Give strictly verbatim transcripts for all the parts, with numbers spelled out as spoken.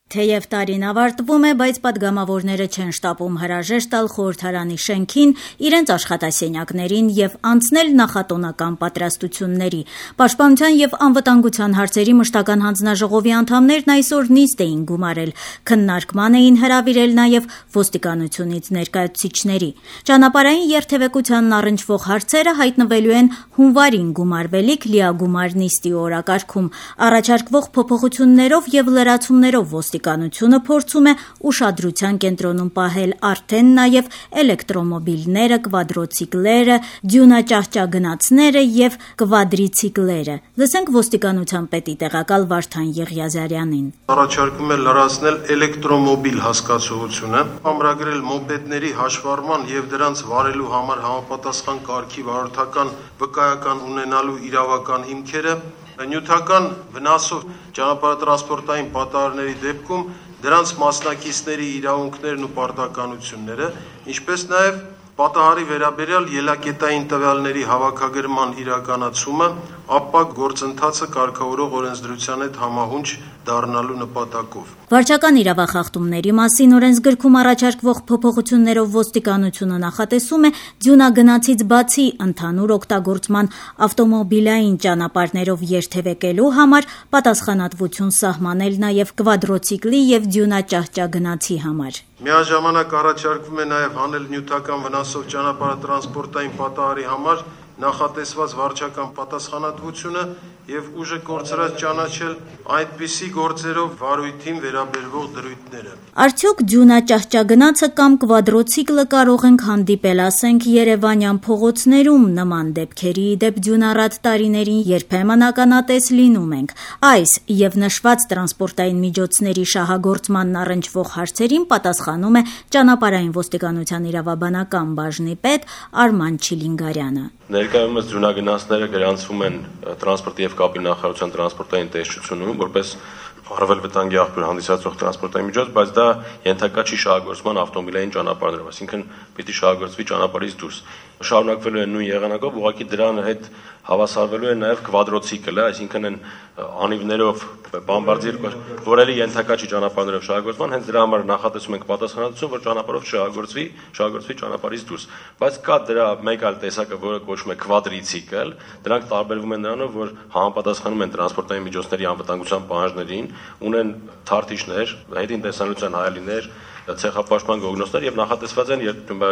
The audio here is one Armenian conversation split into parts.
Թեև տարին ավարտվում է, բայց պատգամավորները չեն շտապում հրաժեշտ տալ խորհրդարանի շենքին, իրենց աշխատասենյակներին եւ անցնել նախատոնական պատրաստությունների։ Պաշտպանության եւ անվտանգության հարցերի մշտական հանձնաժողովի անդամներն այսօր նիստ էին գումարել, քննարկման էին հրավիրել նաեւ ոստիկանությունից ներկայացուցիչների։ Ճանապարհային երթևեկությանն առնչվող հարցերը հայտնվելու են հունվարին գումարվելիք լիագումար նիստի օրակարգում։ Առաջարկվող փոփոխություններով եւ լրացումներով Ոստիկանությունը փորձում է ուշադրության կենտրոնում պահել արդեն նաև էլեկտրոմոբիլները, կվադրոցիկլերը, դյունաճահճագնացները եւ կվադրիցիկլերը։ Լսենք ոստիկանության պետի տեղակալ Վարդան Եղիազարյանին։ Առաջարկում է լրացնել էլեկտրոմոբիլ հասկացությունը, ամրագրել մոպեդների հաշվառման եւ դրանց վարելու համար համապատասխան կարգի վարորդական վկայական ունենալու իրավական հիմքերը, նյութական վնասով ճանապարհատրանսպորտային պատահարների դեպքում դրանց մասնակիցների իրավունքներն ու պարտականությունները, ինչպես նաև պատահարի վերաբերյալ ելակետային տվյալների հավաքագրման իրականացումը, ապա գործընթացը կարգավորող օրենսդրության հետ համահունչ դառնալու նպատակով։ Վարչական իրավախախտումների մասին օրենսգրքում առաջարկվող փոփոխություններով ոստիկանությունը նախատեսում է դյունագնացից բացի ընդհանուր օգտագործման ավտոմոբիլային ճանապարհներով երթևեկելու համար պատասխանատվություն սահմանել նաև կվադրոցիկլի եւ դյունաճահճագնացի համար։ Միաժամանակ առաջարկվում է նաև հանել նյութական վնասով ճանապարհատրանսպորտային պատահարի համար նախատեսված վարչական պատասխանատվությունը եւ ուժը կորցրած ճանաչել այդպիսի գործերով վարույթին վերաբերվող դրույթները։ Արդյոք դյունաճահճագնացը կամ կվադրոցիկլը կարող ենք հանդիպել, ասենք, Երևանյան փողոցներում նման դեպքերի դեպ դյունառատ տարիներին երբեմն ականատես լինում ենք։ Այս եւ նշված տրանսպորտային միջոցների շահագործմանն առնչվող հարցերին պատասխանում է ճանապարհային ոստիկանության իրավաբանական բաժնի պետ Արման Չիլինգարյանը։ Ներկայումս դյունագնացները գրանցվում են տրանսպորտի եւ կապի նախարարության տրանսպորտային տեսչությունում որպես առավել վտանգի աղբյուր հանդիսացող տրանսպորտային միջոց, բայց դա ենթակա չի շահագործման ավտոմոբիլային ճանապարհներով, այսինքն պիտի շահագործվի ճանապարհից դուրս։ Շարունակվելու է նույն եղանակով, ուղղակի դրան հետ հավասարվելու է նաև կվադրոցիկլը, այսինքն այն անիվներով բամբարդիր, որը ենթակա չի ճանապարհներով շահագործման, հենց դրա համար նախատեսում ենք պատասխանատվություն, որ ճանապարհով շահագործվի, շահագործվի ճանապարհից դուրս։ Բայց կա դրա մեկ այլ տեսակը, որը կոչվում է կվադրիցիկլ, դրանք տարբերվում են նրանով, որ համապատասխանում են տրանսպորտային միջոցների անվտանգության պահանջներին, ունեն թարթիչներ, հետին տեսանելիության հայելիներ, ցեղապաշտպան գոգնոցներ եւ նախատեսված են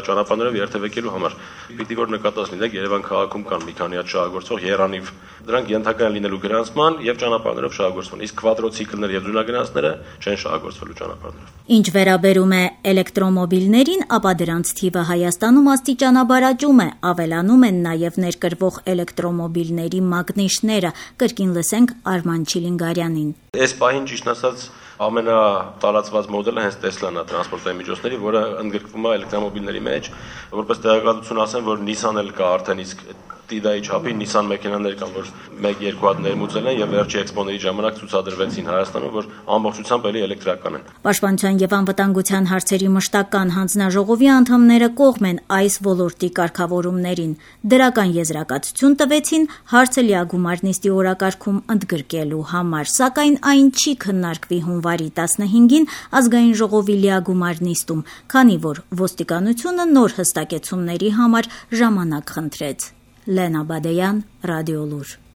ճանապարհներով երթևեկելու համար։ Պիտի որ նկատած լինեք, Երևան քաղաքում կան մի քանի հատ շահագործող երանիվ, դրանք ենթակա են լինելու գրանցման եւ ճանապարհներով շահագործման, իսկ կվադրոցիկլները եւ դյունագնացները չեն շահագործվելու ճանապարհներով։ Ինչ վերաբերում է էլեկտրոմոբիլներին, ապա դրանց թիվը Հայաստանում աստիճանաբար աճում է, ավելանում են նաեւ ներկրվող էլեկտրոմոբիլների մագնիշները, կրկին լսենք Արման Չիլինգարյանին։ Այս պահին ճիշտ ասած ամենատարածված մոդելը հենց Տեսլան է տրանսպորտային միջոցների, որը ընդգրկվում է էլեկտրոմոբիլների մեջ, որպես տեղեկատվություն ասեմ, որ Nissan-ը կա արդեն, իսկ Տիդայի չափի Nissan մեքենաներ կան, որ մեկ-երկու հատ ներմուծել են եւ վերջի էքսպոների ժամանակ ցուցադրվեցին Հայաստանում, որ ամբողջությամբ էլի էլեկտրական են։ Պաշտպանության եւ անվտանգության հարցերի մշտական հանձնաժողովի անդամները կողմ են այս ոլորտի կարգավորումներին։ Դրական եզրակացություն տվեցին հարցը լիագումար նիստի օրակարգում ընդգրկելու համար, սակայն այն չի քննարկվի հունվարի տասնհինգին ազգային ժողովի լիագումար նիստում, քանի որ ոստիկանությունը նոր հստակեցումների համար ժամանակ խնդրեց։ Լենա Բադեյան, Ռադիոլուր։